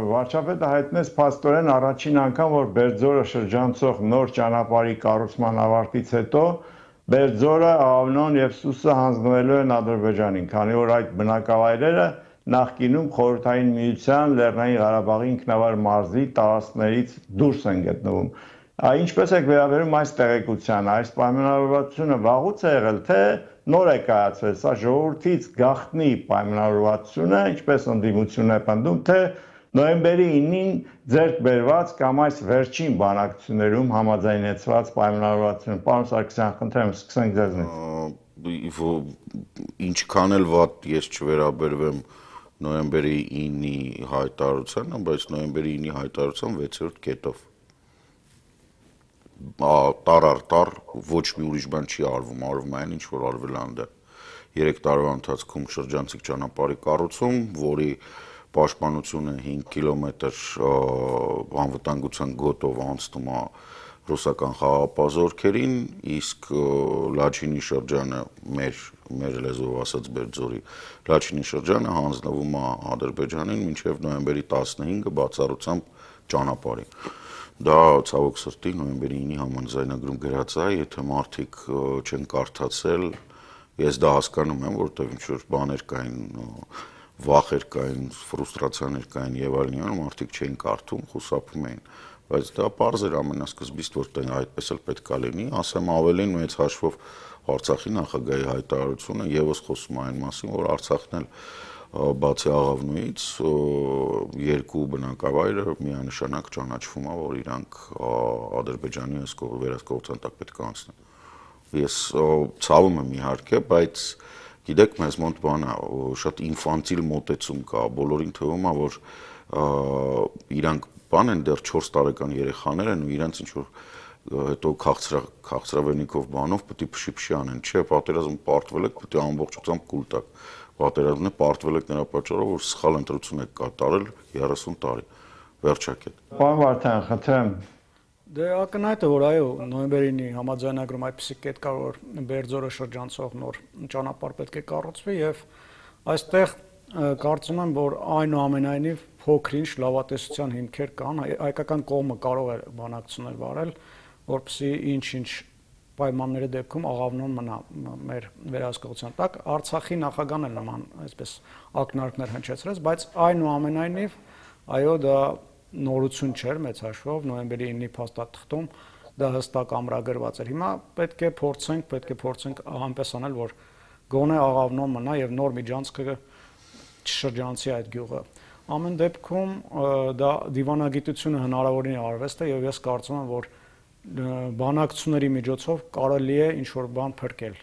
Վարչապետը հայտնեց փաստորեն առաջին անգամ, որ Բերձորը շրջանցող նոր ճանապարհի կառուցման ավարտից հետո Բերձորը, Աղավնոն եւ Սուսը հանձնվելու են Ադրբեջանին, քանի որ այդ բնակավայրերը նախկինում Խորհրդային Միության Լեռնային Ղարաբաղի ինքնավար մարզի տարածքներից դուրս են գտնվում։ Ինչպես եք վերաբերում այս տեղեկությանը, այս պայմանավորվածությունը վաղուց է եղել, թե նոր է կայացվել, սա ժողովրդից գաղտնի պայմանավորվածություն է, ինչպես ընդդիմությունն է պնդում, թե նոյեմբերի 9-ին ձեռք բերված կամ այս վերջին բանակցություններում համաձայնեցված պայմանավորվածություն։ Պարոն Սարգսյան, խնդրեմ, սկսենք ձեզնից։ Ինչքան էլ վատ ես չվերաբերվեմ նոյեմբերի 9-ի հայտարարությանը, բայց նոյեմբերի 9-ի հայտարարության 6-րդ կետով տար առ տար ոչ մի ուրիշ բան չի արվում, արվում այն ինչ որ արվել է այնտեղ 3 տարվա ընթացքում շրջանցիկ ճանապարհի կառուցում, որի պաշտպանությունը 5 կիլոմետր անվտանգության գոտով անցնում է ռուսական խաղապազորքերին, իսկ Լաչինի շրջանը մեր լեզվով ասած Բերձորի Լաչինի շրջանը հանձնվում է Ադրբեջանին մինչև նոյեմբերի 15-ը բացառությամբ ճանապարհի։ Դա ցավոք սրտի նոյեմբերի 9-ի համաձայնագրում գրած է, եթե մարդիկ չեն կարդացել, ես դա հասկանում եմ, որովհետև ինչ-որ բաներ կային, վախեր կային, ֆրուստրացիաներ կային եւ այլն, մարդիկ չէին կարդում, խուսափում էին, բայց դա պարզ էր ամենասկզբից, որ այդպես էլ պետք է լինի, ասեմ ավելին մեծ հաշվով Արցախի նախագահի հայտարարությունը եւս խոսում է այն մասին, որ Արցախն էլ բացի Աղավնոյից երկու բնակավայրը միանշանակ ճանաչվում է, որ իրանք Ադրբեջանի վերահսկողության տակ պետք է անցնեն։ Ես ցավում եմ իհարկե, բայց գիտեք, մեզ մոտ բան է, շատ ինֆանտիլ մոտեցում կա, բոլորին թվում է, որ իրանք բան են դեռ 4 տարեկան երեխաներ են ու իրանք ինչ որ հետո քաղցրավենիքով բանով պետք է փշի անեն, չէ, պատերազմ պարտվել եք, պետք է ամբողջությամբ կուլ տաք։ Պատերազմն է պարտվել եք նրա պատճառով, որ սխալ ընտրություն եք կատարել 30 տարի։ Վերջակետ։ Պարոն Վարդան, խնդրեմ։ Դե ակնհայտ է, որ այո, նոյեմբերի 9-ի համաձայնագրում այդպիսի կետ կա, որ Բերձորը շրջանցող նոր ճանապարհ պետք է կառուցվի եւ այստեղ կարծում եմ, որ այնուամենայնիվ փոքր-ինչ լավատեսության հիմքեր կան, հայկական կողմը կարող է բանակցություններ վարել, որպեսզի ինչ-ինչ պայմանների դեպքում Աղավնոն մնա մեր վերահսկողության տակ։ Արցախի նախագահն էլ նման այսպես ակնարկներ հնչեցրեց, բայց այնուամենայնիվ այո, դա նորություն չէր մեծ հաշվով, նոյեմբերի 9-ի փաստաթղթում դա հստակ ամրագրված էր։ Հիմա պետք է փորձենք այնպես անել, որ գոնե Աղավնոն մնա եւ նոր միջանցքը չշրջանցի այդ գյուղը։ Ամեն դեպքում դա դիվանագիտությունը հնարավորին արվեստ է եւ ես կարծում եմ, որ բանակցությունների միջոցով կարելի է ինչ-որ բան փրկել։